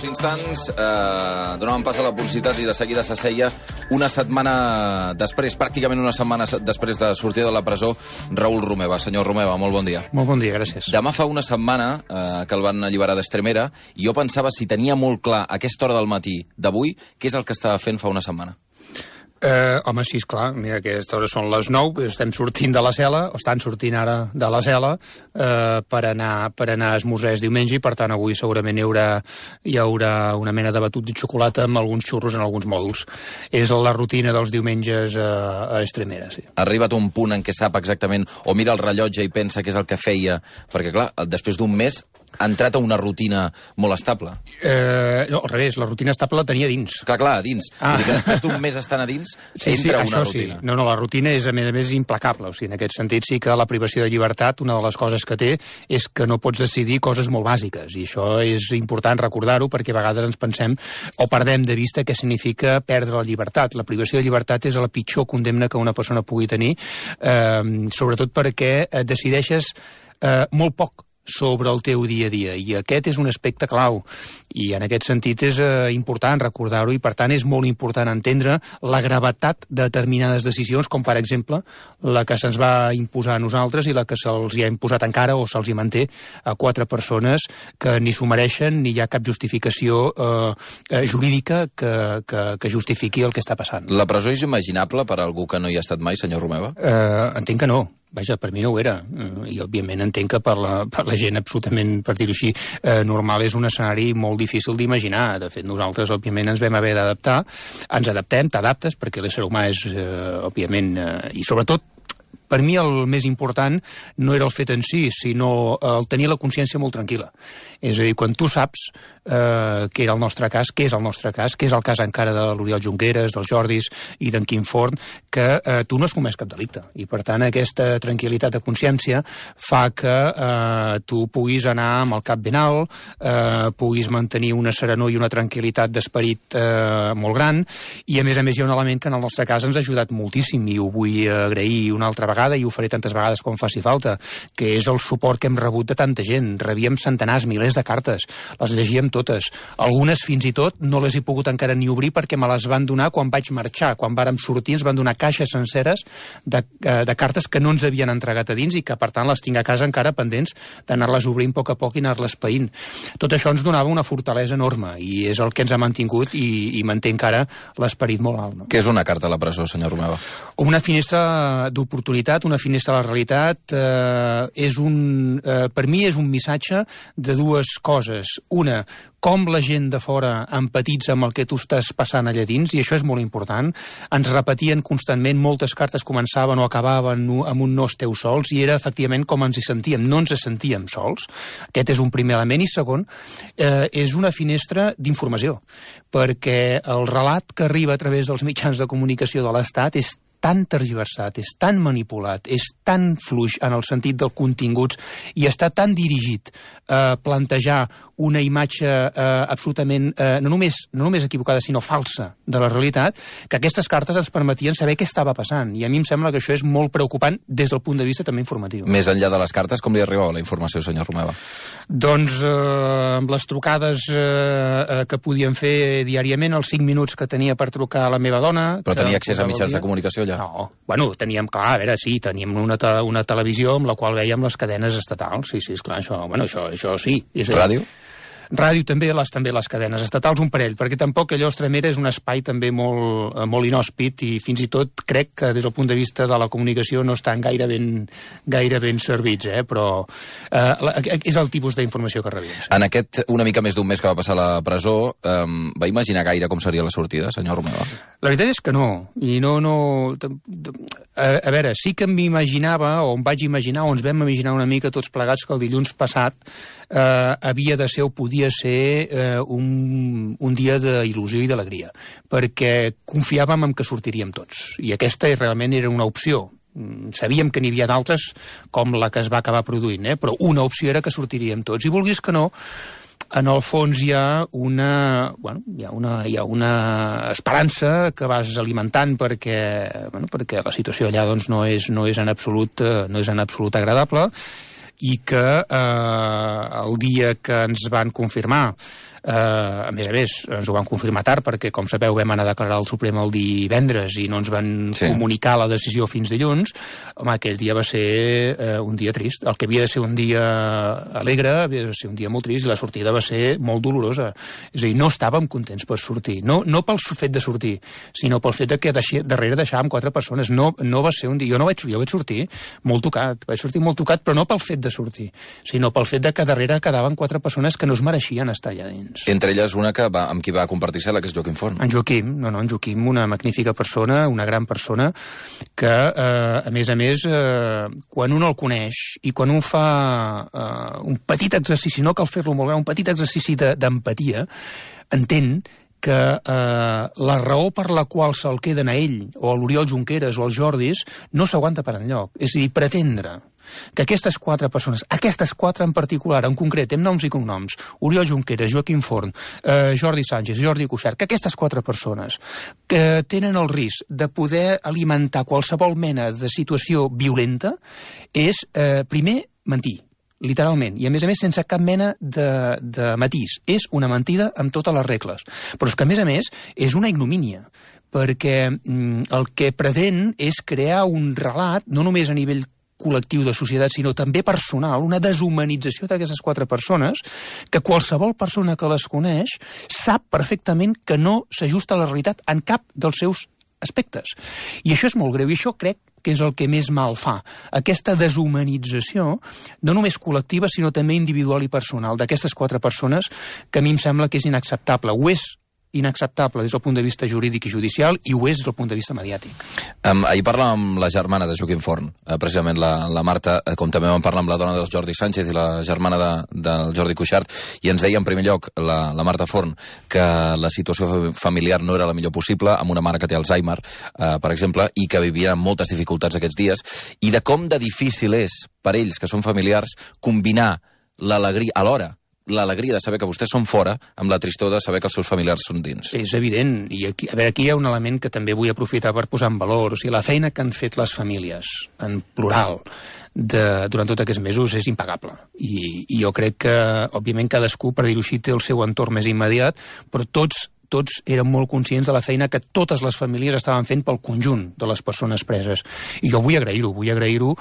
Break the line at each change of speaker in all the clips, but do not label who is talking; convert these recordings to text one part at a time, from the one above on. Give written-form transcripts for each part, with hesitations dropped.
uns instants donàvem pas a la publicitat i de seguida s'asseia una setmana després, pràcticament una setmana després de sortir de la presó, Raül Romeva. Senyor Romeva, molt bon dia.
Molt bon dia, gràcies.
Demà fa una setmana que el van alliberar d'Estremera i jo pensava si tenia molt clar a aquesta hora del matí d'avui què és el que estava fent fa una setmana.
Home, sí, esclar, mira, aquestes hores són les 9, estem sortint de la cel·la, o estan sortint ara de la cel·la per anar a esmorzar diumenge, i per tant avui segurament hi haurà una mena de batut de xocolata amb alguns xurros en alguns mòduls. És la rutina dels diumenges a Estremera, sí.
Ha arribat un punt en què sap exactament, o mira el rellotge i pensa què és el que feia, perquè clar, després d'un mes ha entrat a una rutina molt estable.
No, al revés, la rutina estable la tenia dins.
Clar, a dins. Vull dir que després d'un mes estant a dins, entra una rutina.
Sí. No, la rutina és, a més, implacable. O sigui, en aquest sentit sí que la privació de llibertat, una de les coses que té és que no pots decidir coses molt bàsiques, i això és important recordar-ho, perquè a vegades ens pensem o perdem de vista què significa perdre la llibertat. La privació de llibertat és la pitjor condemna que una persona pugui tenir, sobretot perquè decideixes molt poc sobre el teu dia a dia, i aquest és un aspecte clau, i en aquest sentit és important recordar-ho, i per tant és molt important entendre la gravetat de determinades decisions, com per exemple la que se'ns va imposar a nosaltres i la que se'ls hi ha imposat encara o se'ls hi manté a 4 persones que ni s'ho mereixen ni hi ha cap justificació jurídica que justifiqui el que està passant.
La presó és imaginable per a algú que no hi ha estat mai, senyor Romeva?
Entenc que no. Vaja, per mi no ho era, i òbviament entenc que per la gent absolutament, per dir-ho així, normal és un escenari molt difícil d'imaginar. De fet, nosaltres òbviament ens vam haver d'adaptar, ens adaptem, t'adaptes, perquè l'ésser humà és, òbviament, i sobretot, per mi el més important no era el fet en si, sinó el tenir la consciència molt tranquil·la. És a dir, quan tu saps què era el nostre cas, què és el nostre cas, què és el cas encara de l'Oriol Junqueras, dels Jordis i d'en Quim Forn, que tu no has comès cap delicte. I per tant aquesta tranquil·litat de consciència fa que tu puguis anar amb el cap ben alt, puguis mantenir una serenor i una tranquil·litat d'esperit molt gran, i a més hi ha un element que en el nostre cas ens ha ajudat moltíssim, i ho vull agrair una altra vegada, i ho faré tantes vegades com faci falta, que és el suport que hem rebut de tanta gent. Rebíem centenars, milers de cartes, les llegíem totes. Algunes fins i tot no les he pogut encara ni obrir perquè me les van donar quan vaig marxar. Quan vàrem sortir ens van donar caixes senceres de cartes que no ens havien entregat a dins i que per tant les tinc a casa encara pendents d'anar-les obrint a poc i anar-les païnt. Tot això ens donava una fortalesa enorme i és el que ens ha mantingut i manté encara l'esperit molt alt. No?
Què és una carta a la presó, senyor Romeva?
Una finestra d'oportunitat, una finestra a la realitat, per mi és un missatge de dues coses. Una, com la gent de fora empatitza amb el que tu estàs passant allà dins, i això és molt important. Ens repetien constantment, moltes cartes començaven o acabaven amb un no esteu sols, i era efectivament com ens hi sentíem, no ens sentíem sols. Aquest és un primer element, i segon, és una finestra d'informació, perquè el relat que arriba a través dels mitjans de comunicació de l'Estat és tan tergiversat, és tan manipulat, és tan fluix en el sentit dels continguts i està tan dirigit a plantejar una imatge absolutament no només equivocada, sinó falsa de la realitat, que aquestes cartes ens permetien saber què estava passant. I a mi em sembla que això és molt preocupant des del punt de vista també informatiu.
Més enllà de les cartes, com li arribava la informació, senyor Romeva?
Doncs amb les trucades que podíem fer diàriament, els 5 minuts que tenia per trucar a la meva dona...
Però tenia accés a mitjans de comunicació allà?
No, bueno, teníem, clar, a veure, sí, teníem una televisió amb la qual veiem les cadenes estatals, sí, esclar, això sí.
Ràdio?
Ràdio també, les cadenes estatals, un parell, perquè tampoc allò Estremera és un espai també molt inhòspit, i fins i tot crec que des del punt de vista de la comunicació no estan gaire ben servits, però és el tipus d'informació que rebem.
En aquest una mica més d'un mes que va passar a la presó, va imaginar gaire com seria la sortida, senyor Romeva?
La veritat és que no, i no... A veure, sí que m'imaginava, o em vaig imaginar, o ens vam imaginar una mica tots plegats que el dilluns passat havia de ser o podia ser un dia d'il·lusió i d'alegria, perquè confiàvem en que sortiríem tots, i aquesta realment era una opció. Sabíem que n'hi havia d'altres, com la que es va acabar produint, però una opció era que sortiríem tots, i vulguis que no, en el fons hi ha una esperança que vas alimentant perquè la situació allà doncs, no és en absolut agradable, i que el dia que ens van confirmar A més, ens ho van confirmar tard, perquè, com sabeu, vam anar a declarar al Suprem el divendres i no ens van comunicar la decisió fins dilluns. Home, aquell dia va ser un dia trist. El que havia de ser un dia alegre havia de ser un dia molt trist, i la sortida va ser molt dolorosa. És a dir, no estàvem contents per sortir. No pel fet de sortir, sinó pel fet de que darrere deixàvem 4 persones. No va ser un dia... Jo vaig sortir molt tocat. Vaig sortir molt tocat, però no pel fet de sortir, sinó pel fet de que darrere quedaven 4 persones que no es mereixien estar allà dins.
Entre elles una amb qui va compartir cel·la, que és Joaquim Forn.
En Joaquim, una magnífica persona, una gran persona, que, a més, quan un el coneix i quan un fa un petit exercici, no cal fer-lo molt gran, un petit exercici d'empatia, entén que la raó per la qual se'l queden a ell, o a l'Oriol Junqueras, o als Jordis, no s'aguanta per enlloc. És a dir, pretendre que aquestes 4 persones, aquestes 4 en particular, en concret, amb noms i cognoms, Oriol Junqueras, Joaquim Forn, Jordi Sánchez, Jordi Cuixart, que aquestes 4 persones que tenen el risc de poder alimentar qualsevol mena de situació violenta és, primer, mentir, literalment, i a més sense cap mena de matís. És una mentida amb totes les regles. Però és que, a més, és una ignomínia, perquè el que pretén és crear un relat, no només a nivell col·lectiu de societat, sinó també personal, una deshumanització d'aquestes 4 persones, que qualsevol persona que les coneix sap perfectament que no s'ajusta a la realitat en cap dels seus aspectes. I això és molt greu, i això crec que és el que més mal fa. Aquesta deshumanització, no només col·lectiva, sinó també individual i personal, d'aquestes 4 persones, que a mi em sembla que és inacceptable. Ho és inacceptable des del punt de vista jurídic i judicial, i ho és des del punt de vista mediàtic.
Ahir parlàvem amb la germana de Joaquim Forn, precisament la Marta, com també vam parlar amb la dona del Jordi Sánchez i la germana del Jordi Cuixart, i ens deia en primer lloc la Marta Forn que la situació familiar no era la millor possible, amb una mare que té Alzheimer, per exemple, i que vivia amb moltes dificultats aquests dies, i de com de difícil és per ells, que són familiars, combinar l'alegria alhora, l'alegria de saber que vostès són fora, amb la tristor de saber que els seus familiars són dins.
És evident, i aquí hi ha un element que també vull aprofitar per posar en valor. O sigui, la feina que han fet les famílies, en plural, durant tots aquests mesos és impagable. I jo crec que, òbviament, cadascú, per dir-ho així, té el seu entorn més immediat, però tots eren molt conscients de la feina que totes les famílies estaven fent pel conjunt de les persones preses. I jo vull agrair-ho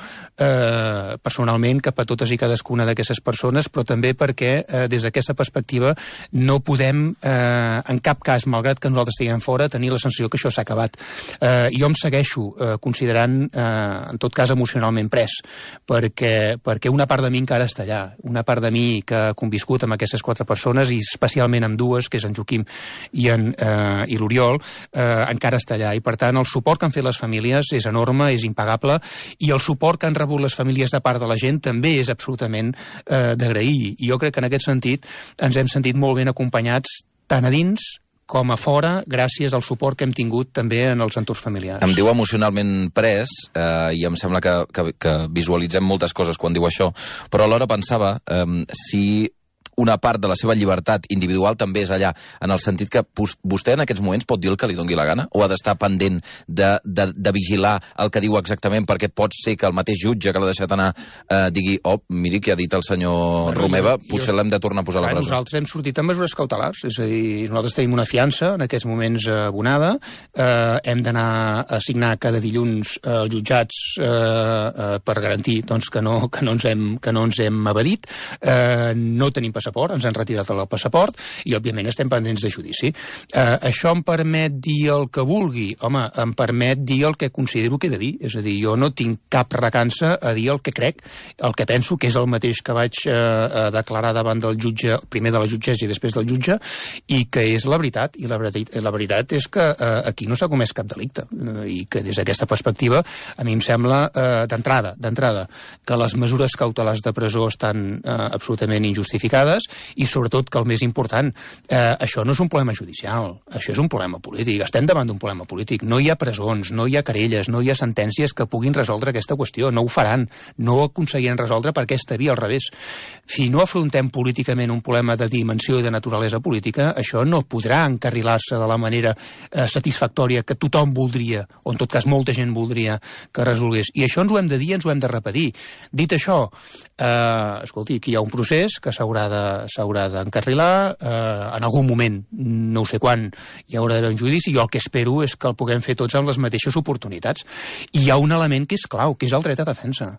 personalment cap a totes i cadascuna d'aquestes persones, però també perquè des d'aquesta perspectiva no podem en cap cas, malgrat que nosaltres estiguem fora, tenir la sensació que això s'ha acabat. Jo em segueixo considerant, en tot cas, emocionalment pres, perquè una part de mi encara està allà, una part de mi que ha conviscut amb aquestes 4 persones, i especialment amb 2, que és en Joaquim i l'Oriol, encara està allà. I, per tant, el suport que han fet les famílies és enorme, és impagable, i el suport que han rebut les famílies de part de la gent també és absolutament d'agrair. I jo crec que en aquest sentit ens hem sentit molt ben acompanyats tant a dins com a fora, gràcies al suport que hem tingut també en els entorns familiars.
Em diu emocionalment pres, i em sembla que visualitzem moltes coses quan diu això, però alhora pensava si una part de la seva llibertat individual també és allà, en el sentit que vostè en aquests moments pot dir el que li doni la gana, o ha d'estar pendent de vigilar el que diu exactament, perquè pot ser que el mateix jutge que l'ha deixat anar digui, miri què ha dit el senyor Romeva, potser l'hem de tornar a posar a la presó.
Nosaltres hem sortit amb mesures cautelars, és a dir, nosaltres tenim una fiança en aquests moments abonada, hem d'anar a signar cada dilluns als jutjats per garantir que no ens hem evadit, no tenim passaport, ens han retirat el passaport, i òbviament estem pendents de judici. Això em permet dir el que vulgui? Home, em permet dir el que considero que he de dir, és a dir, jo no tinc cap recança a dir el que crec, el que penso, que és el mateix que vaig declarar davant del jutge, primer de la jutgessa i després del jutge, i que és la veritat, i la veritat és que aquí no s'ha comès cap delicte, i que des d'aquesta perspectiva a mi em sembla, d'entrada, que les mesures cautelars de presó estan absolutament injustificades, i sobretot que el més important, això no és un problema judicial, això és un problema polític, estem davant d'un problema polític, no hi ha presons, no hi ha querelles, no hi ha sentències que puguin resoldre aquesta qüestió, no ho faran, no ho aconseguiran resoldre per aquesta via, al revés. Si no afrontem políticament un problema de dimensió i de naturalesa política, això no podrà encarrilar-se de la manera satisfactòria que tothom voldria, o en tot cas molta gent voldria que resolgués. I això ens ho hem de dir, ens ho hem de repetir. Dit això, escolti, aquí hi ha un procés que s'haurà de d'encarrilar, en algun moment, no ho sé quan, hi haurà d'haver un judici, jo el que espero és que el puguem fer tots amb les mateixes oportunitats. I hi ha un element que és clau, que és el dret a defensa,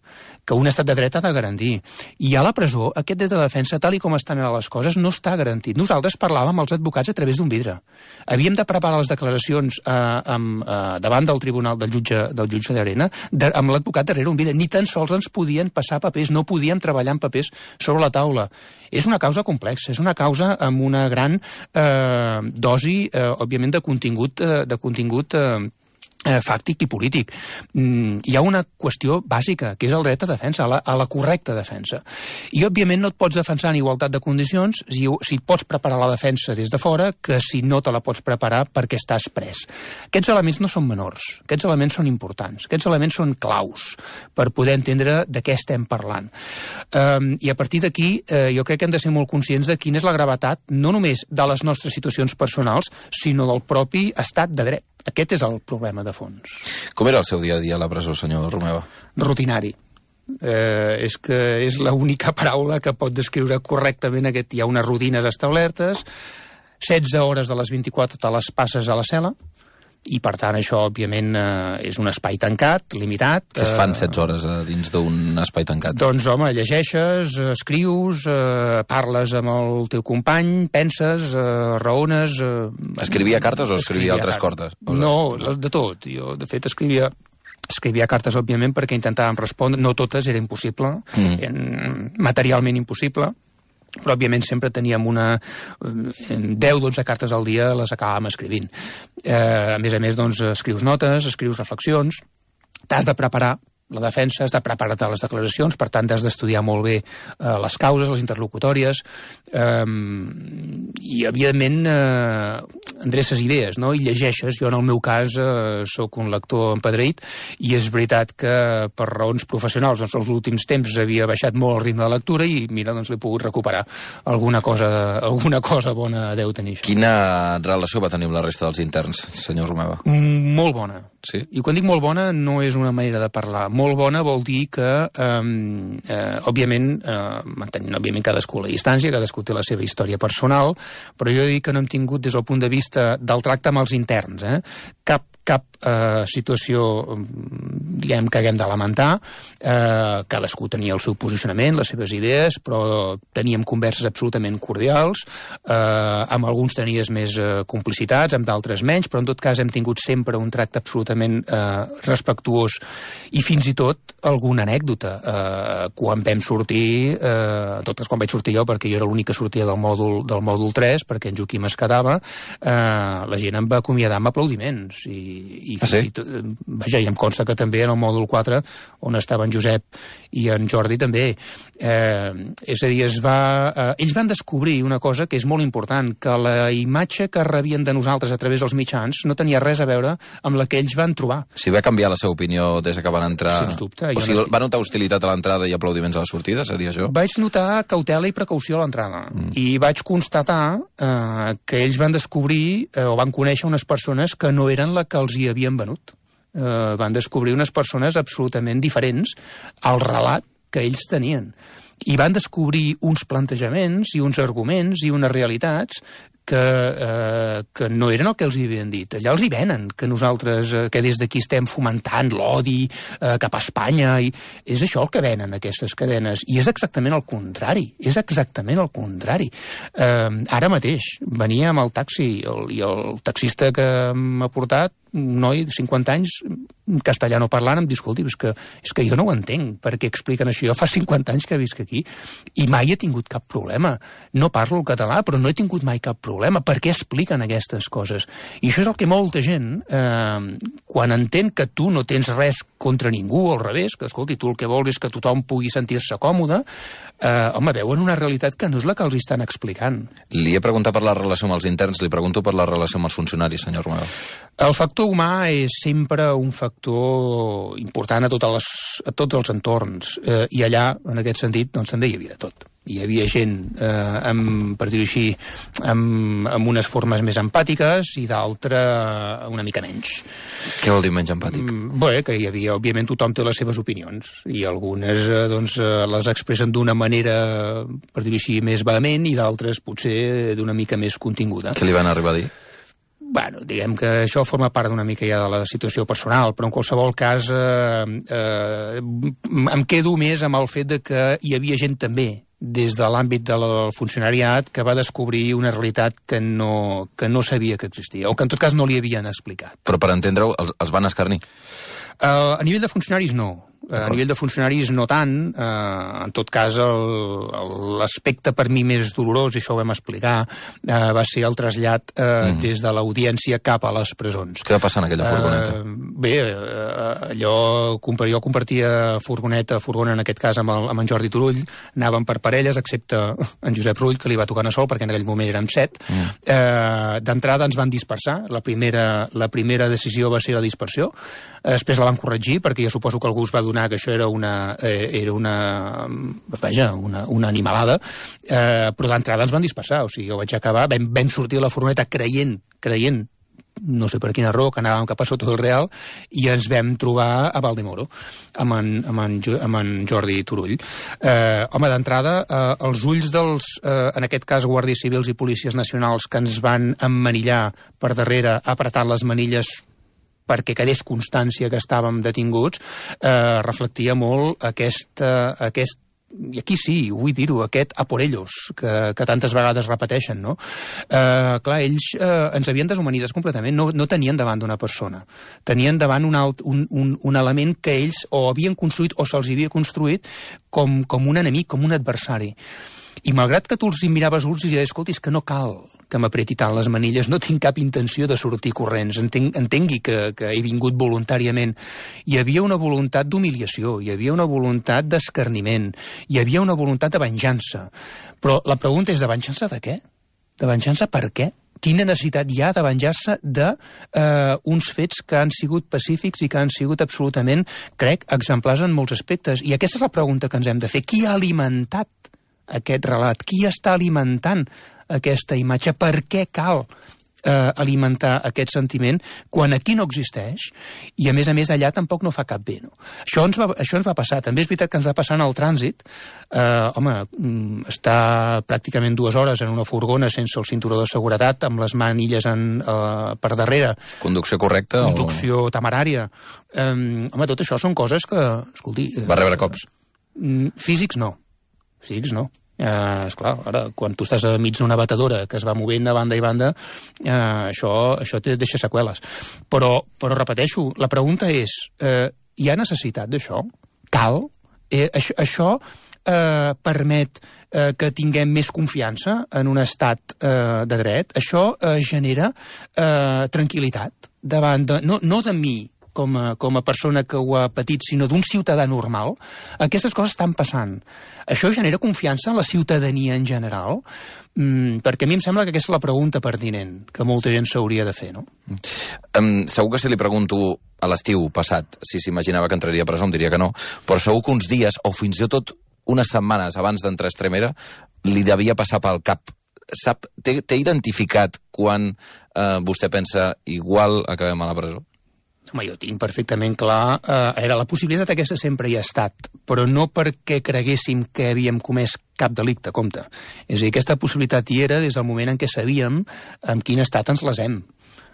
que un estat de dret ha de garantir. I a la presó, aquest dret a defensa, tal i com estan ara les coses, no està garantit. Nosaltres parlàvem amb els advocats a través d'un vidre. Havíem de preparar les declaracions davant del tribunal del jutge Llarena amb l'advocat darrere un vidre. Ni tan sols ens podien passar papers, no podíem treballar amb papers sobre la taula. És una causa complexa, és una causa amb una gran dosi, òbviament, de contingut fàctic i polític. Hi ha una qüestió bàsica, que és el dret a defensa, a la correcta defensa. I, òbviament, no et pots defensar en igualtat de condicions si et pots preparar la defensa des de fora que si no te la pots preparar perquè estàs pres. Aquests elements no són menors, aquests elements són importants, aquests elements són claus per poder entendre de què estem parlant. I a partir d'aquí, jo crec que hem de ser molt conscients de quina és la gravetat, no només de les nostres situacions personals, sinó del propi estat de dret. Aquest és el problema de fons.
Com era el seu dia a dia a la presó, senyor Romeva?
Rutinari. És que és l'única paraula que pot descriure correctament aquest. Hi ha unes rutines establertes, 16 hores de les 24 te les passes a la cel·la, i per tant això òbviament és un espai tancat, limitat.
Què es fan 16 hores dins d'un espai tancat?
Doncs home, llegeixes, escrius, parles amb el teu company, penses, raones...
Escrivia cartes o escrivia altres coses?
No, de tot. Jo, de fet, escrivia cartes, òbviament, perquè intentàvem respondre. No totes, era impossible, materialment impossible, però òbviament sempre teníem 10-12 cartes al dia, les acabàvem escrivint. A més, doncs, escrius notes, escrius reflexions, t'has de preparar la defensa, has de preparar-te les declaracions, per tant, has d'estudiar molt bé les causes, les interlocutòries, i, evidentment, endreces idees, no? I llegeixes. Jo, en el meu cas, sóc un lector empadreït, i és veritat que, per raons professionals, doncs, els últims temps havia baixat molt el ritme de lectura i, mira, doncs l'he pogut recuperar. Alguna cosa bona deu tenir això.
Quina relació va tenir amb la resta dels interns, senyor Romeva?
Molt bona.
Sí?
I quan dic molt bona no és una manera de parlar. Molt bona vol dir que, òbviament, mantenint cadascú la distància, cadascú té la seva història personal, però jo dic que no hem tingut, des del punt de vista del tracte amb els interns, cap situació, diguem, que haguem de lamentar. Cadascú tenia el seu posicionament, les seves idees, però teníem converses absolutament cordials, amb alguns tenies més complicitats, amb d'altres menys, però en tot cas hem tingut sempre un tracte absolutament respectuós, i fins i tot alguna anècdota. Quan vam sortir, en tot cas quan vaig sortir jo, perquè jo era l'únic que sortia del mòdul 3, perquè en Joaquim es quedava, la gent em va acomiadar amb aplaudiments, i vaja, i em consta que també en el mòdul 4, on estaven Josep i en Jordi també. És a dir, ells van descobrir una cosa que és molt important, que la imatge que rebien de nosaltres a través dels mitjans no tenia res a veure amb la que ells van trobar.
Si va canviar la seva opinió des que van entrar...
Sens dubte.
O sigui, va notar hostilitat a l'entrada i aplaudiments a la sortida, seria això?
Vaig notar cautela i precaució a l'entrada, i vaig constatar que ells van descobrir o van conèixer unes persones que no eren la que els hi havien venut. Van descobrir unes persones absolutament diferents al relat que ells tenien. I van descobrir uns plantejaments i uns arguments i unes realitats que no eren el que els hi havien dit. Allà els hi venen, que nosaltres, que des d'aquí estem fomentant l'odi cap a Espanya, i és això el que venen aquestes cadenes, i és exactament el contrari, Ara mateix venia amb el taxi, i el taxista que m'ha portat, un noi de 50 anys, castellano parlant, em diu, escolti, és que jo no ho entenc, perquè expliquen això. Jo fa 50 anys que visc aquí, i mai he tingut cap problema. No parlo el català, però no he tingut mai cap problema. Per què expliquen aquestes coses? I això és el que molta gent, quan entén que tu no tens res contra ningú, al revés, que, escolti, tu el que vols és que tothom pugui sentir-se còmode, home, veuen una realitat que no és la que els estan explicant.
Li he preguntat per la relació amb els interns, li pregunto per la relació amb els funcionaris, senyor Romeva.
El factor humà és sempre un factor important a tots els entorns, i allà, en aquest sentit, doncs també hi havia de tot. hi havia gent, per dir-ho així, amb unes formes més empàtiques i d'altra una mica menys.
Què vol dir menys empàtic?
Bé, que hi havia, òbviament, tothom té les seves opinions i algunes les expressen d'una manera, per dir-ho així, més vehement i d'altres potser d'una mica més continguda.
Què li van arribar a dir?
Bueno, diguem que això forma part d'una mica ja de la situació personal, però en qualsevol cas em quedo més amb el fet de que hi havia gent també des de l'àmbit del funcionariat que va descobrir una realitat que no sabia que existia, o que en tot cas no li havien explicat.
Però per entendre-ho, els van escarnir?
A nivell de funcionaris no. A nivell de funcionaris no tant, en tot cas l'aspecte per mi més dolorós, i això ho vam explicar, va ser el trasllat des de l'audiència cap a les presons.
Què va passar en aquella furgoneta?
Bé, jo compartia furgona en aquest cas amb en Jordi Turull, anàvem per parelles, excepte en Josep Rull, que li va tocar anar sol, perquè en aquell moment érem 7. D'entrada ens van dispersar, la primera decisió va ser la dispersió, després la van corregir, perquè jo suposo que algú es va donar que això era una animalada, però d'entrada ens van dispersar, o sigui, jo vaig acabar, vam sortir a la furgoneta creient, no sé per quina raó, que anàvem cap a sota del Real, i ens vam trobar a Valdemoro, amb en Jordi Turull. Home, d'entrada, els ulls dels, en aquest cas, guàrdies civils i policies nacionals que ens van emmanillar per darrere, apretant les manilles perquè quedés constància que estàvem detinguts, reflectia molt aquest, i aquí sí, vull dir-ho, aquest a por ellos, que tantes vegades repeteixen, no? Clar, ells ens havien deshumanitzat completament, no tenien davant d'una persona, tenien davant un element que ells o havien construït o se'ls havia construït com un enemic, com un adversari. I malgrat que tu els miraves ulls i deies, escolti, és que no cal que m'apreti tant les manilles, no tinc cap intenció de sortir corrents, entengui que he vingut voluntàriament. Hi havia una voluntat d'humiliació, hi havia una voluntat d'escarniment, hi havia una voluntat de venjança. Però la pregunta és, de venjança de què? De venjança per què? Quina necessitat hi ha de venjar-se d'uns fets que han sigut pacífics i que han sigut absolutament, crec, exemplars en molts aspectes? I aquesta és la pregunta que ens hem de fer. Qui ha alimentat aquest relat? Qui està alimentant aquesta imatge? Per què cal alimentar aquest sentiment quan aquí no existeix i a més allà tampoc no fa cap bé, no? Això ens va passar. També és veritat que ens va passar en el trànsit. Estar pràcticament 2 hores en una furgona sense el cinturó de seguretat, amb les manilles per darrere.
Conducció correcta?
Conducció temerària. Tot això són coses que, escolti...
Va rebre cops?
Físics no. Esclar, ara, quan tu estàs enmig d'una batedora que es va movent a banda i banda, això te deixa seqüeles. Però repeteixo, la pregunta és, hi ha necessitat d'això? Cal? Això permet que tinguem més confiança en un estat de dret? Això genera tranquil·litat davant de... No de mi, com a persona que ho ha patit, sinó d'un ciutadà normal. Aquestes coses estan passant. Això genera confiança en la ciutadania en general? Perquè a mi em sembla que aquesta és la pregunta pertinent que molta gent s'hauria de fer, no?
Segur que si li pregunto a l'estiu passat si s'imaginava que entraria a presó, em diria que no, però segur que uns dies, o fins i tot unes setmanes abans d'entrar a Extremera, li devia passar pel cap. Té identificat quan vostè pensa igual acabem a la presó?
Home, jo tinc perfectament clar... la possibilitat aquesta sempre hi ha estat, però no perquè creguéssim que havíem comès cap delicte, compte. És a dir, aquesta possibilitat hi era des del moment en què sabíem en quin estat ens les hem.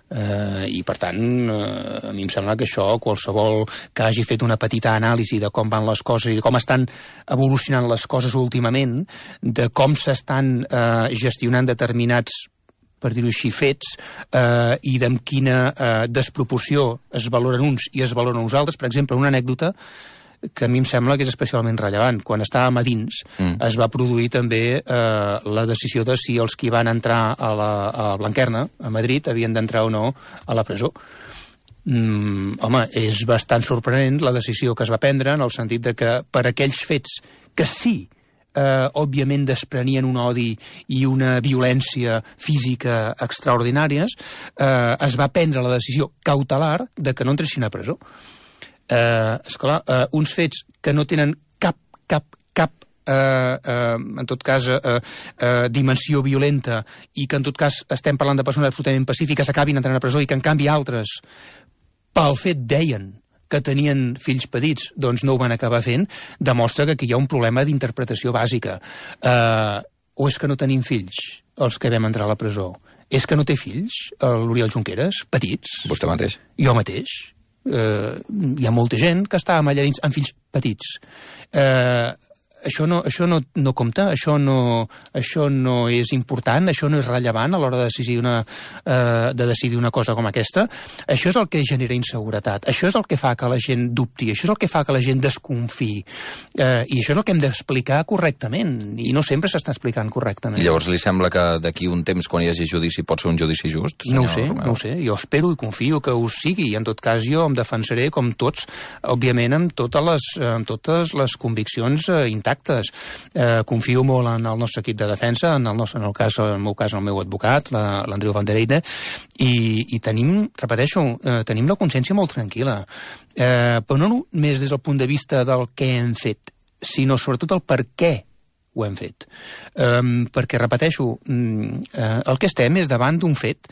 I, per tant, a mi em sembla que això, qualsevol que hagi fet una petita anàlisi de com van les coses i de com estan evolucionant les coses últimament, de com s'estan gestionant determinats, per dir-ho així, fets, i d'amb quina desproporció es valoren uns i es valoren uns altres. Per exemple, una anècdota que a mi em sembla que és especialment rellevant. Quan estàvem a dins, es va produir també la decisió de si els que van entrar a Blanquerna, a Madrid, havien d'entrar o no a la presó. Home, és bastant sorprenent la decisió que es va prendre, en el sentit de que per aquells fets que sí, òbviament desprenien un odi i una violència física extraordinàries, es va prendre la decisió cautelar de que no entressin a presó. Esclar, uns fets que no tenen cap en tot cas, dimensió violenta i que, en tot cas, estem parlant de persones absolutament pacífiques, acabin entrant a presó i que, en canvi, altres, pel fet, deien que tenien fills petits, doncs no ho van acabar fent, demostra que aquí hi ha un problema d'interpretació bàsica. O és que no tenim fills, els que vam entrar a la presó? És que no té fills, l'Oriol Junqueras, petits?
Vostè mateix?
Jo mateix. Hi ha molta gent que està allà dins amb fills petits. Això no compta, això no és important, això no és rellevant a l'hora de decidir una cosa com aquesta. Això és el que genera inseguretat, això és el que fa que la gent dubti, això és el que fa que la gent desconfiï, i això és el que hem d'explicar correctament, i no sempre s'està explicant correctament.
I llavors li sembla que d'aquí un temps, quan hi hagi judici, pot ser un judici just?
No ho sé, jo espero i confio que ho sigui, i en tot cas jo em defensaré com tots, òbviament amb totes les conviccions intactes. Confio molt en el nostre equip de defensa, en el meu cas, el meu advocat, l'Andreu Van der Eyde, i tenim, repeteixo, tenim la consciència molt tranquil·la. Però no només des del punt de vista del què hem fet, sinó sobretot el per què ho hem fet. Perquè, repeteixo, el que estem és davant d'un fet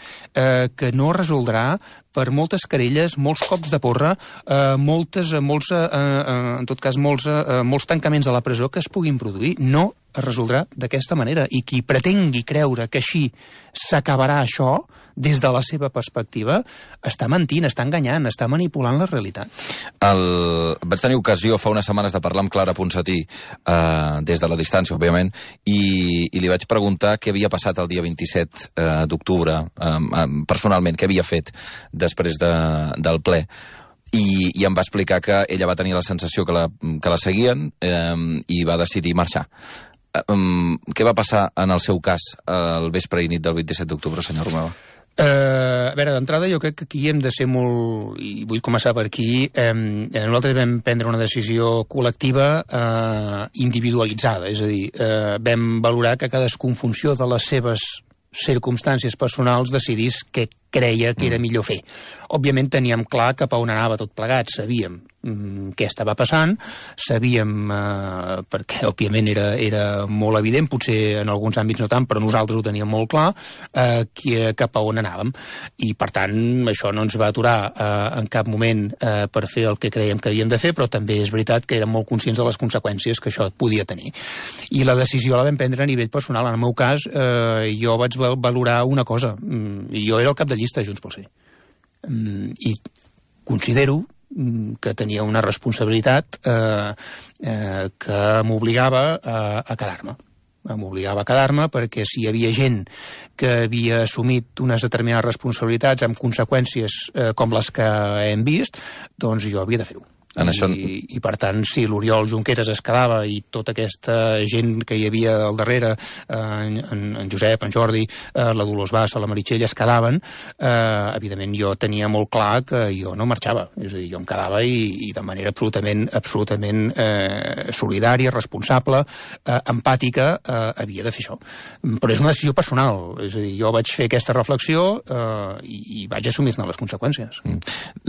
que no resoldrà per moltes querelles, molts cops de porra, en tot cas, molts tancaments a la presó que es puguin produir. No es resoldrà d'aquesta manera. I qui pretengui creure que així s'acabarà això, des de la seva perspectiva, està mentint, està enganyant, està manipulant la realitat.
Vaig tenir ocasió fa unes setmanes de parlar amb Clara Ponsatí, des de la distància, òbviament, i li vaig preguntar què havia passat el dia 27 d'octubre, personalment, què havia fet després del ple. I em va explicar que ella va tenir la sensació que la seguien i va decidir marxar. Què va passar en el seu cas el vespre i nit del 27 d'octubre, senyor Romeva?
A veure, d'entrada jo crec que aquí hem de ser molt, i vull començar per aquí, nosaltres vam prendre una decisió col·lectiva individualitzada, és a dir, vam valorar que cadascú en funció de les seves circumstàncies personals decidís què creia que era millor fer. Òbviament teníem clar cap a on anava tot plegat, sabíem què estava passant, sabíem, perquè òbviament era molt evident, potser en alguns àmbits no tant, però nosaltres ho teníem molt clar, cap a on anàvem. I per tant, això no ens va aturar en cap moment per fer el que creiem que havíem de fer, però també és veritat que érem molt conscients de les conseqüències que això podia tenir. I la decisió la vam prendre a nivell personal. En el meu cas, jo vaig valorar una cosa. Jo era el cap de llista de Junts pel Sí. I considero que tenia una responsabilitat que m'obligava a quedar-me. M'obligava a quedar-me perquè si hi havia gent que havia assumit unes determinades responsabilitats amb conseqüències com les que hem vist, doncs jo havia de fer-ho. I per tant, si l'Oriol Junqueras es quedava i tota aquesta gent que hi havia al darrere, en Josep, en Jordi, la Dolors Bassa, la Meritxell, es quedaven, evidentment jo tenia molt clar que jo no marxava. És a dir, jo em quedava i de manera absolutament solidària, responsable, empàtica, havia de fer això. Però és una decisió personal. És a dir, jo vaig fer aquesta reflexió i vaig assumir-ne les conseqüències.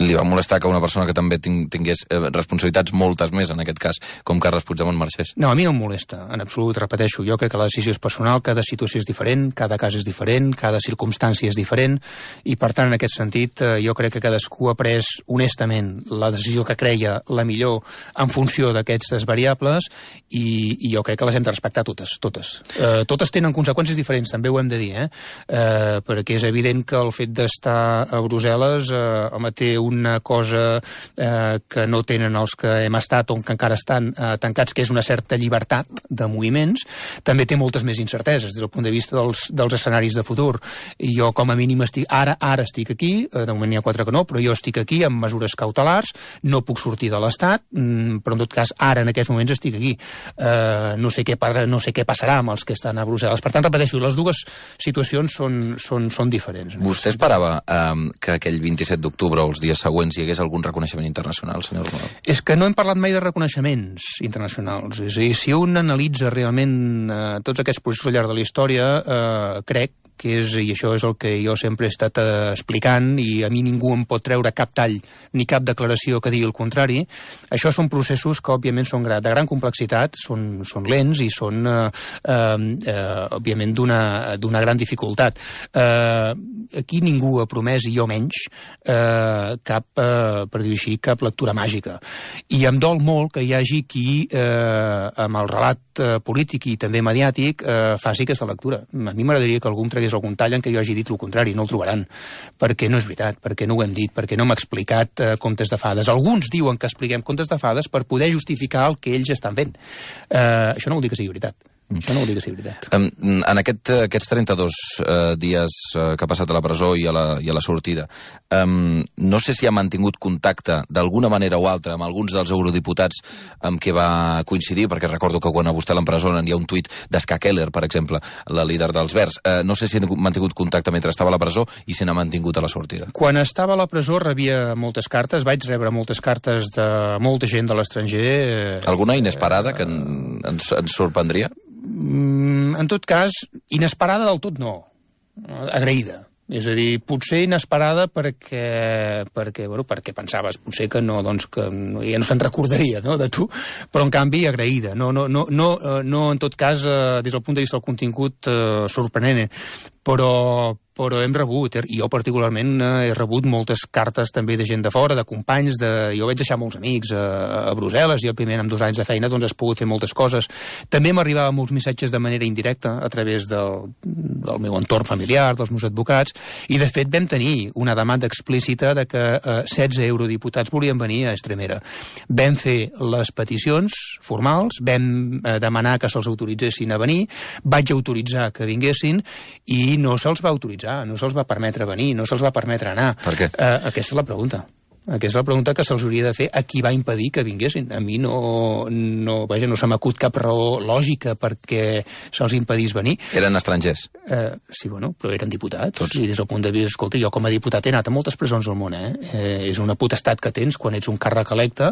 Li va molestar que una persona que també tingués responsabilitats moltes més, en aquest cas, com Carles Puigdemont marxés?
No, a mi no em molesta, en absolut, repeteixo. Jo crec que la decisió és personal, cada situació és diferent, cada cas és diferent, cada circumstància és diferent, i per tant, en aquest sentit, jo crec que cadascú ha pres honestament la decisió que creia la millor en funció d'aquestes variables, i jo crec que les hem de respectar totes. Totes tenen conseqüències diferents, també ho hem de dir, perquè és evident que el fet d'estar a Brussel·les té una cosa que no tenen els que hem estat o que encara estan tancats, que és una certa llibertat de moviments. També té moltes més incerteses des del punt de vista dels escenaris de futur. I jo, com a mínim, ara estic aquí, de moment n'hi ha 4 que no, però jo estic aquí amb mesures cautelars, no puc sortir de l'Estat, però en tot cas, ara, en aquests moments, estic aquí. No sé què passarà amb els que estan a Brussel·les. Per tant, repeteixo, les dues situacions són diferents.
Vostè esperava que aquell 27 d'octubre o els dies següents hi hagués algun reconeixement internacional, senyor Romeva?
És que no hem parlat mai de reconeixements internacionals. És a dir, si un analitza realment tots aquests processos al llarg de la història, crec que és, i això és el que jo sempre he estat explicant, i a mi ningú em pot treure cap tall ni cap declaració que digui el contrari, això són processos que, òbviament, són de gran complexitat, són lents i són, òbviament, d'una gran dificultat. Aquí ningú ha promès, i jo menys, per dir-ho així, cap lectura màgica. I em dol molt que hi hagi qui, amb el relat polític i també mediàtic, faci aquesta lectura. A mi m'agradaria que algú em tragués algun tall en què jo hagi dit el contrari, no el trobaran, perquè no és veritat, perquè no ho hem dit, perquè no hem explicat contes de fades. Alguns diuen que expliquem contes de fades per poder justificar el que ells estan fent. Això no vol dir que sigui veritat. Això no vol dir que sigui veritat.
En aquests 32 dies que ha passat a la presó i a la sortida, no sé si ha mantingut contacte d'alguna manera o altra amb alguns dels eurodiputats amb què va coincidir, perquè recordo que quan a vostè l'empresonen hi ha un tuit d'Ska Keller, per exemple, la líder dels Verds. No sé si ha mantingut contacte mentre estava a la presó i si n'ha mantingut a la sortida.
Quan estava a la presó rebia moltes cartes, vaig rebre moltes cartes de molta gent de l'estranger.
Alguna inesperada que ens sorprendria?
En tot cas, inesperada del tot no, agraïda. És a dir, potser inesperada perquè pensaves potser que no, doncs que ja no se'n recordaria, no, de tu, però en canvi agraïda. No, en tot cas, des del punt de vista del contingut, sorprenent, però hem rebut, i jo particularment he rebut moltes cartes també de gent de fora, de companys, jo vaig deixar molts amics a Brussel·les, i òbviament amb 2 anys de feina doncs has pogut fer moltes coses. També m'arribaven molts missatges de manera indirecta a través del meu entorn familiar, dels meus advocats, i de fet vam tenir una demanda explícita de que 16 eurodiputats volien venir a Extremera. Vam fer les peticions formals, vam demanar que se'ls autoritzessin a venir, vaig autoritzar que vinguessin i no se'ls va autoritzar, no se'ls va permetre venir, no se'ls va permetre anar.
Per què?
Aquesta és la pregunta. Aquesta és la pregunta que se'ls hauria de fer a qui va impedir que vinguessin. A mi no se m'acut cap raó lògica perquè se'ls impedís venir.
Eren estrangers?
Sí, bueno, però eren diputats. Tots. I des del punt de vista, escolta, jo com a diputat he anat a moltes presons al món, és una potestat que tens quan ets un càrrec electe.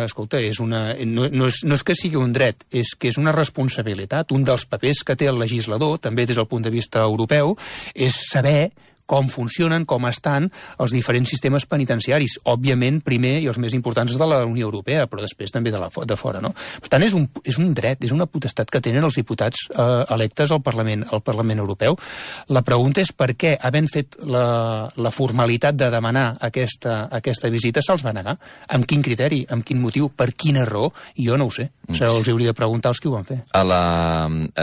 Escolta, no és que sigui un dret, és que és una responsabilitat. Un dels papers que té el legislador, també des del punt de vista europeu, és saber com funcionen, com estan els diferents sistemes penitenciaris. Òbviament, primer, i els més importants de la Unió Europea, però després també de fora, no? Per tant, és un dret, és una potestat que tenen els diputats electes al Parlament Europeu. La pregunta és per què, havent fet la formalitat de demanar aquesta visita, se'ls va negar. Amb quin criteri, amb quin motiu, per quina raó? Jo no ho sé. Els hauria de preguntar als qui ho van fer.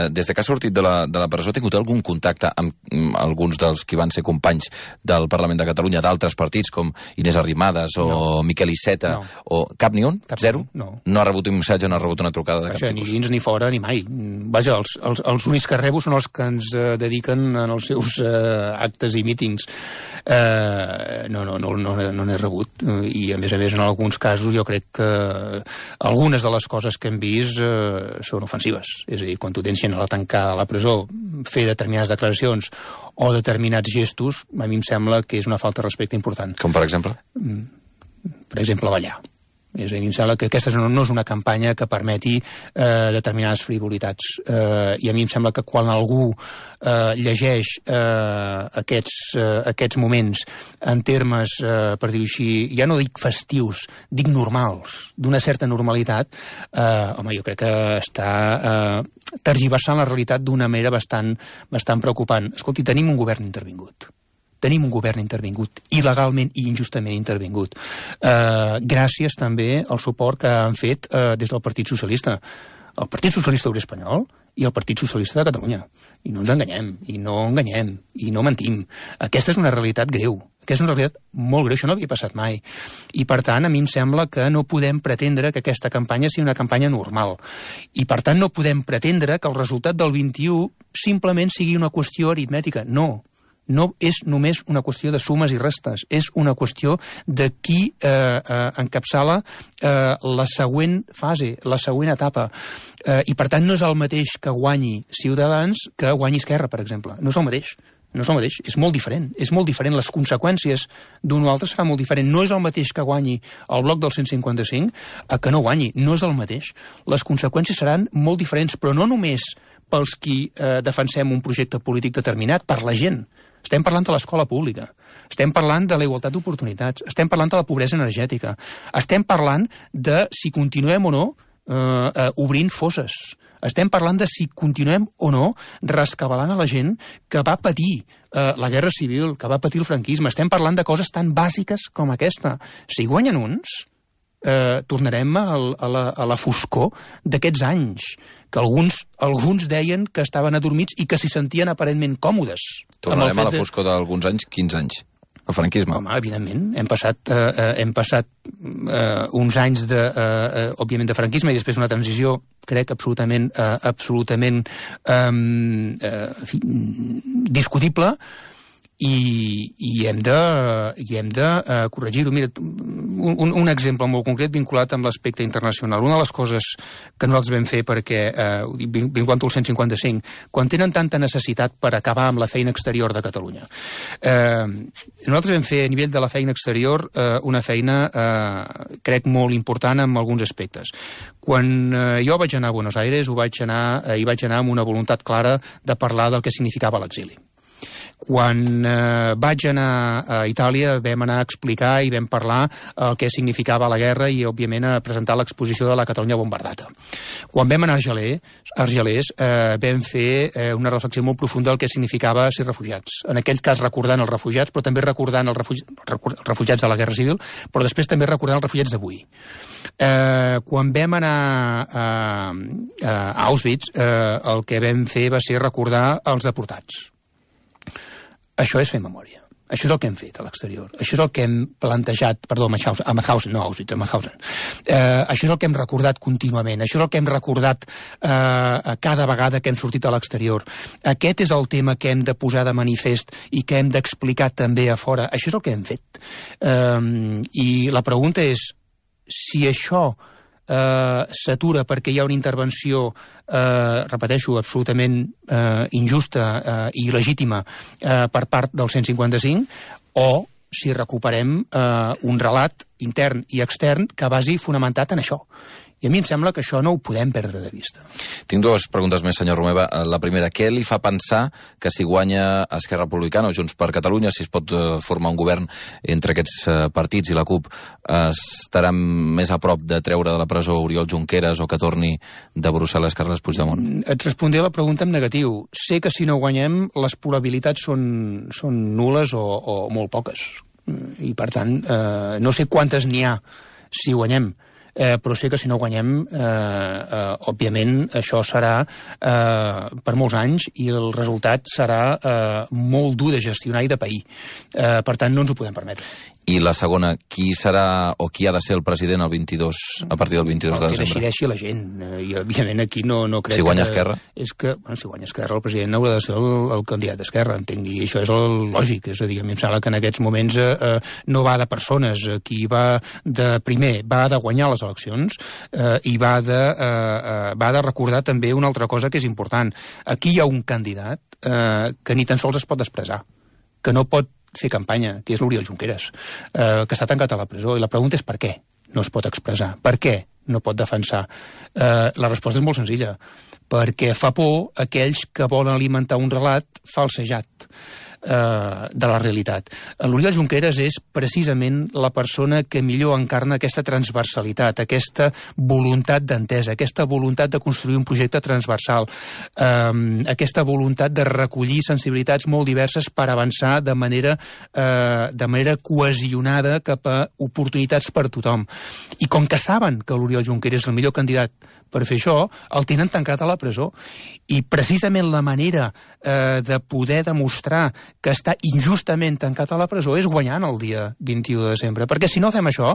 Des que ha sortit de la presó, ha tingut algun contacte amb alguns dels qui van ser companys del Parlament de Catalunya, d'altres partits, com Inés Arrimadas o Miquel Iceta, o cap ni un? Zero?
No.
No ha rebut un missatge, no ha rebut una trucada de cap tipus?
Ni dins ni fora, ni mai. Vaja, els únics que rebo són els que ens dediquen en els seus actes i mítings. No n'he rebut. I, a més, en alguns casos, jo crec que algunes de les coses que hem vist són ofensives. És a dir, quan tu tens gent a la tancada a la presó, fer determinades declaracions o determinats gestos, a mi em sembla que és una falta de respecte important.
Com per exemple?
Per exemple, ballar. És a dir, em sembla que aquesta no és una campanya que permeti determinades frivolitats. I a mi em sembla que quan algú llegeix aquests moments en termes, per dir-ho així, ja no dic festius, dic normals, d'una certa normalitat, home, jo crec que està tergiversant la realitat d'una manera bastant preocupant. Escolti, tenim un govern intervingut. Tenim un govern intervingut, il·legalment i injustament intervingut. Gràcies també al suport que han fet des del Partit Socialista. El Partit Socialista Obrer Espanyol i el Partit Socialista de Catalunya. I no ens enganyem, i no mentim. Aquesta és una realitat greu. Aquesta és una realitat molt greu, això no havia passat mai. I, per tant, a mi em sembla que no podem pretendre que aquesta campanya sigui una campanya normal. I, per tant, no podem pretendre que el resultat del 21 simplement sigui una qüestió aritmètica. No és només una qüestió de sumes i restes, és una qüestió de qui encapçala la següent fase, la següent etapa. I, per tant, no és el mateix que guanyi Ciutadans que guanyi Esquerra, per exemple. No és el mateix. És molt diferent. Les conseqüències d'un o altre serà molt diferent. No és el mateix que guanyi el bloc del 155 que no guanyi. No és el mateix. Les conseqüències seran molt diferents, però no només pels qui defensem un projecte polític determinat, per la gent. Estem parlant de l'escola pública, estem parlant de la igualtat d'oportunitats, estem parlant de la pobresa energètica, estem parlant de si continuem o no obrint fosses, estem parlant de si continuem o no rescabalant a la gent que va patir la guerra civil, que va patir el franquisme. Estem parlant de coses tan bàsiques com aquesta. Si guanyen uns, tornarem a la foscor d'aquests anys, que alguns deien que estaven adormits i que s'hi sentien aparentment còmodes.
Tornarem a la foscor d'alguns anys, 15 anys. El franquisme.
Home, evidentment. Hem passat uns anys, òbviament, de franquisme i després una transició, crec, absolutament discutible, i hem de corregir-ho. Mira, un exemple molt concret vinculat amb l'aspecte internacional. Una de les coses que nosaltres vam fer perquè, vinculant al 155, quan tenen tanta necessitat per acabar amb la feina exterior de Catalunya, nosaltres vam fer a nivell de la feina exterior una feina, crec, molt important en alguns aspectes. Quan jo vaig anar a Buenos Aires, hi vaig anar amb una voluntat clara de parlar del que significava l'exili. Quan vaig anar a Itàlia vam anar a explicar i vam parlar el que significava la guerra i, òbviament, a presentar l'exposició de la Catalunya bombardata. Quan vam anar a Argelers vam fer una reflexió molt profunda del que significava ser refugiats. En aquell cas recordant els refugiats, però també recordant els refugiats de la Guerra Civil, però després també recordant els refugiats d'avui. Quan vam anar a Auschwitz, el que vam fer va ser recordar els deportats. Això és fer memòria. Això és el que hem fet a l'exterior. Això és el que hem plantejat, perdó, a Mauthausen, no a Auschwitz, a Mauthausen. Això és el que hem recordat contínuament. Això és el que hem recordat cada vegada que hem sortit a l'exterior. Aquest és el tema que hem de posar de manifest i que hem d'explicar també a fora. Això és el que hem fet. I la pregunta és si això s'atura perquè hi ha una intervenció, repeteixo, absolutament injusta i il·legítima per part del 155, o si recuperem un relat intern i extern que vagi fonamentat en això. I a mi em sembla que això no ho podem perdre de vista.
Tinc dues preguntes més, senyor Romeva. La primera, què li fa pensar que si guanya Esquerra Republicana o Junts per Catalunya, si es pot formar un govern entre aquests partits i la CUP, estarà més a prop de treure de la presó Oriol Junqueras o que torni de Brussel·les Carles Puigdemont?
Et respondré a la pregunta en negatiu. Sé que si no guanyem les probabilitats són nul·les o molt poques. I, per tant, no sé quantes n'hi ha si guanyem, però sé que si no guanyem, òbviament, això serà per molts anys i el resultat serà molt dur de gestionar i de pair. Per tant, no ens ho podem permetre.
I la segona, qui serà o qui ha de ser el president el 22, a partir del 22 de desembre?
El que decideixi la gent. I, òbviament, aquí no crec
que... Si guanya Esquerra?
És que, si guanya Esquerra, el president haurà de ser el candidat d'Esquerra, entenc, i això és el lògic. És a dir, a mi em sembla que en aquests moments no va de persones. Qui va de primer, va de guanyar les eleccions i va de recordar també una altra cosa que és important. Aquí hi ha un candidat que ni tan sols es pot expressar, que no pot fer campanya, que és l'Oriol Junqueras, que està tancat a la presó. I la pregunta és per què no es pot expressar? Per què no pot defensar? La resposta és molt senzilla. Perquè fa por aquells que volen alimentar un relat falsejat de la realitat. L'Oriol Junqueras és precisament la persona que millor encarna aquesta transversalitat, aquesta voluntat d'entesa, aquesta voluntat de construir un projecte transversal, aquesta voluntat de recollir sensibilitats molt diverses per avançar de manera cohesionada cap a oportunitats per tothom. I com que saben que l'Oriol Junqueras és el millor candidat per fer això, el tenen tancat a la presó. I precisament la manera de poder demostrar que està injustament tancat a la presó és guanyant el dia 21 de desembre. Perquè si no fem això,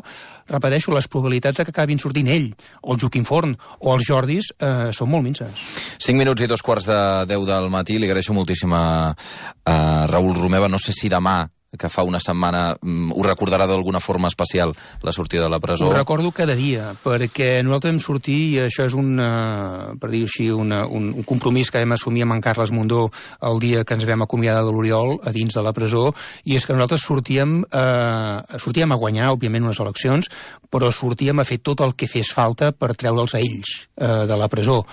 repeteixo, les probabilitats de que acabin sortint ell, o el Joaquim Forn, o els Jordis, són molt minces.
5 minuts i 2 quarts de 10 del matí. Li agraeixo moltíssim a Raül Romeva. No sé si demà que fa una setmana ho recordarà d'alguna forma especial la sortida de la presó?
Ho recordo cada dia, perquè nosaltres vam sortir, i això és per dir-ho així, un compromís que vam assumir amb en Carles Mundó el dia que ens vam acomiadar de l'Oriol a dins de la presó, i és que nosaltres sortíem a guanyar, òbviament, unes eleccions, però sortíem a fer tot el que fes falta per treure'ls a ells de la presó.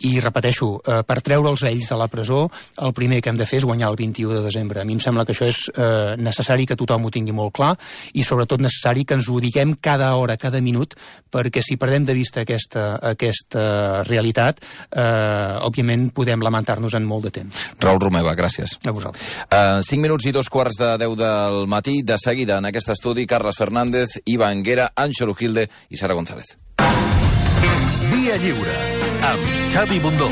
I repeteixo, per treure'ls a ells de la presó, el primer que hem de fer és guanyar el 21 de desembre. A mi em sembla que això és necessari que tothom ho tingui molt clar, i sobretot necessari que ens ho diguem cada hora, cada minut, perquè si perdem de vista aquesta realitat, òbviament podem lamentar-nos en molt de temps.
Raül Romeva, gràcies.
A vosaltres.
5 minuts i 2:15 del matí. De seguida, en aquest estudi, Carles Fernández, Iva Anguera, Àngelo Gilde i Sara González.
Via Lliure, amb Xavi Bundó.